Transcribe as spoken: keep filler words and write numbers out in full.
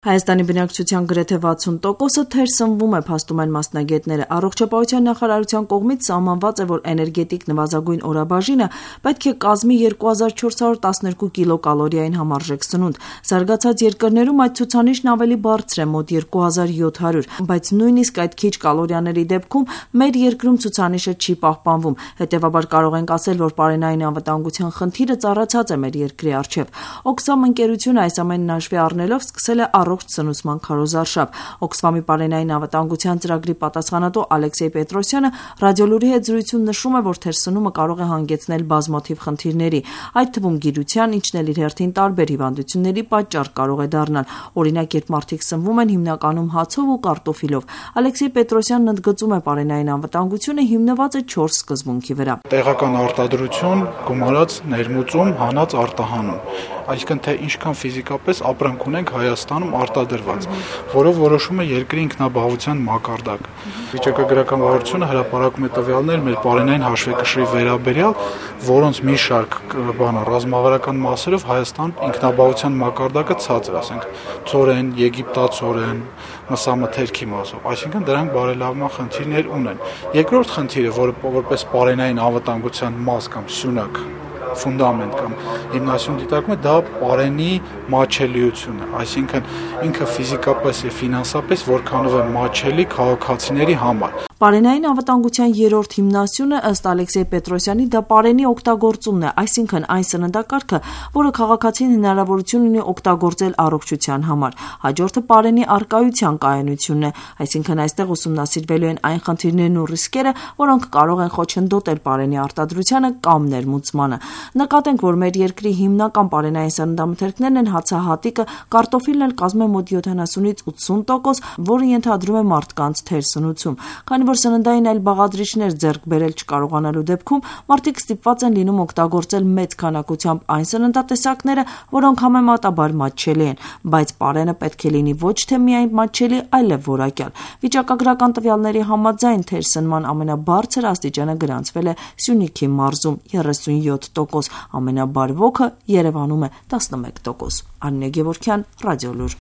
Հայաստանի բնակչության գրեթե վաթսուն տոկոսը թերսնվում է, փաստում են մասնագետները։ Առողջապահության նախարարության կողմից սահմանված է, որ էներգետիկ նվազագույն օրաբաժինը պետք է կազմի երկու հազար չորս հարյուր տասներկու կիլոկալորիային համարժեք սնունդ։ Զարգացած երկրներում այդ ցուցանիշն ավելի բարձր է՝ մոտ երկու հազար յոթ հարյուր, բայց նույնիսկ այդ քիչ կալորիաների դեպքում մեր երկրում ցուցանիշը չի պահպանվում։ Հետևաբար կարող ենք ասել, որ պարենային անվտանգության խնդիրը ծառացած է մեր երկրի առջև։ Օքսֆամ ընկերությունը այս ամենն հաշվի առնելով սկսել է առողջ սնուցման քարոզարշավ։ Օքսֆամի պարենային անվտանգության ծրագրի պատասխանատու Ալեքսեյ Պետրոսյանը ռադիոլուրի հետ զրույցում նշում է, որ թերսնումը կարող է հանգեցնել բազմաթիվ խնդիրների, այդ թվում գիրության, ինչն էլ իր հերթին տարբեր հիվանդությունների պատճառ կարող է դառնալ։ Օրինակ, երբ մարդիկ սնվում են հիմնականում հացով ու կարտոֆիլով։ Ալեքսեյ Պետրոսյանն ընդգծում է, պարենային անվտանգությունը հիմնված է չորս սկզբունքի վրա։ Տեղական արտադրություն, գումարած ներմուծում, հանած արտահանում, այսինքն թե ինչքան ֆիզիկապես ապրանք ունենք Հայաստանում արտադրված, որով որոշում է երկրի ինքնաբավության մակարդակը։ Վիճակագրական վարչությունը հրապարակում է տվյալներ մեր պարենային հաշվեկշռի վերաբերյալ, որոնց մի շարք բանը ռազմավարական մասերով Հայաստան ինքնաբավության մակարդակը ցածր, ասենք ցորեն, եգիպտացորեն, մսամթերքի մասով, այսինքն դրանք բարելավման խնդիրներ ունեն։ Երկրորդ խնդիրը, որը որպես պարենային անվտանգության մաս կամ սյունակ ֆունդամենտ կամ հիմնասյուն դիտարկում է, դա պարենի մատչելիությունն է, այսինքն ինքը ֆիզիկապես եւ ֆինանսապես որքանով է մատչելի քաղաքացիների համար։ Պարենային անվտանգության երրորդ հիմնասյունը ըստ Ալեքսեյ Պետրոսյանի դա պարենի օգտագործումն է, այսինքն այն սննդակարգը, որը քաղաքացին հնարավորություն ունի օգտագործել առողջության համար։ Հաջորդը պարենի առկայության կայունությունն է, այսինքն այստեղ ուսումնասիրվելու են այն խնդիրներն ու ռիսկերը, որոնք կարող են խոչընդոտել պարենի արտադրությանը կամ ներմուծմանը։ Նկատենք, որ մեր երկրի հիմնական պարենային սննդամթերքներն են հացահատիկը, կարտոֆիլն էլ կազմում է մոտ յոթանասունից ութսուն տոկոս, որը ենթադրում է մարդկանց թերսնուցում։ Քանի որ սննդային այլ բաղադրիչներ ձեռք բերել չկարողանալու դեպքում մարդիկ ստիպված են լինում օգտագործել մեծ քանակությամբ այն սննդատեսակները, որոնք համեմատաբար մատչելի են, բայց պարենը պետք է լինի ոչ թե միայն մատչելի, այլև որակյալ։ Վիճակագրական տվյալների համաձայն թերսնման ամենաբարձր աստիճանը գրանցվել է Սյունիքի մարզում երեսունյոթ տոկոս, ամենաբարվոքը Երևանում է տասնմեկ տոկոս։ Աննե Գևորգյան, Ռադիոլուր։